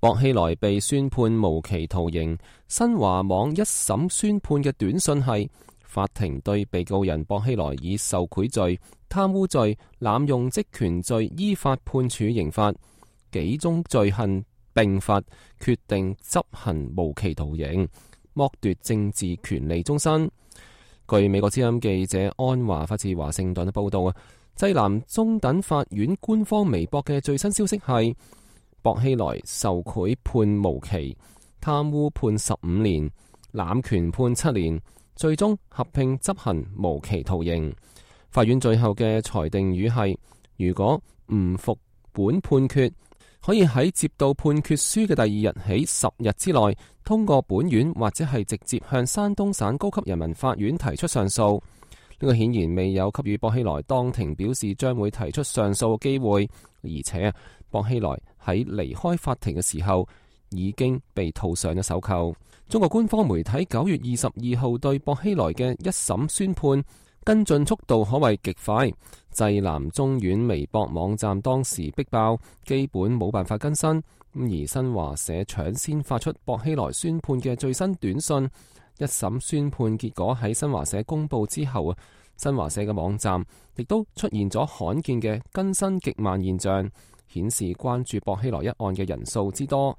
薄熙來被宣判無期徒刑。新華網一審宣判嘅短訊係：法庭對被告人薄熙來以受賄罪、貪污罪、濫用職權罪依法判處刑罰，幾宗罪行並罰，決定執行無期徒刑，剝奪政治權利終身。據美國之音記者安華發自華盛頓嘅報道啊，濟南中等法院官方微博嘅最新消息係：薄熙來受賄判無期，貪污判15年，濫權判7年，最終合併執行無期徒刑。法院最後嘅裁定語係：如果唔服本判決，可以喺接到判決書嘅第二日起10日之內，通過本院或者係直接向山東省高級人民法院提出上訴。呢個顯然未有給予薄熙來當庭表示將會提出上訴嘅機會，而且薄熙來喺離開法庭嘅時候已經被套上咗手銬。中國官方媒體9月22號對薄熙來嘅一審宣判跟進速度可謂極快，濟南中院微博網站當時逼爆，基本冇辦法更新。而新華社搶先發出薄熙來宣判嘅最新短訊。一審宣判結果喺新華社公佈之後啊，新華社嘅網站亦都出現咗罕見嘅更新極慢現象，顯示關注薄熙來一案嘅人數之多。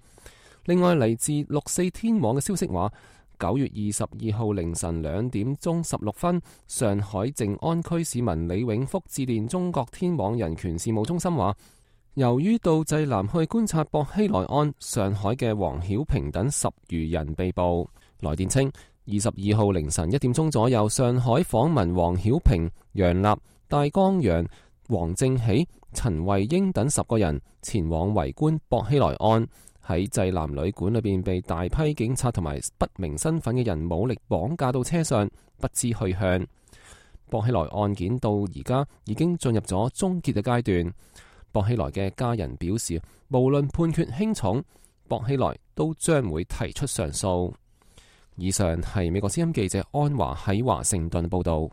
另外，嚟自64天網嘅消息話，9月22號凌晨2點鐘16分，上海靜安區市民李永福致電中國天網人權事務中心話，由於到濟南去觀察薄熙來案，上海嘅黃曉平等10餘人被捕。來電稱，22號凌晨1點鐘左右，上海訪問黃曉平、楊立、戴光陽、黃正喜、陳慧英等10個人前往圍觀薄熙來案。喺濟南旅館裏邊被大批警察同埋不明身份嘅人武力綁架到車上，不知去向。薄熙來案件到而家已經進入咗終結嘅階段。薄熙來嘅家人表示，無論判決輕重，薄熙來都將會提出上訴。以上係美國之音記者安華喺華盛頓報道。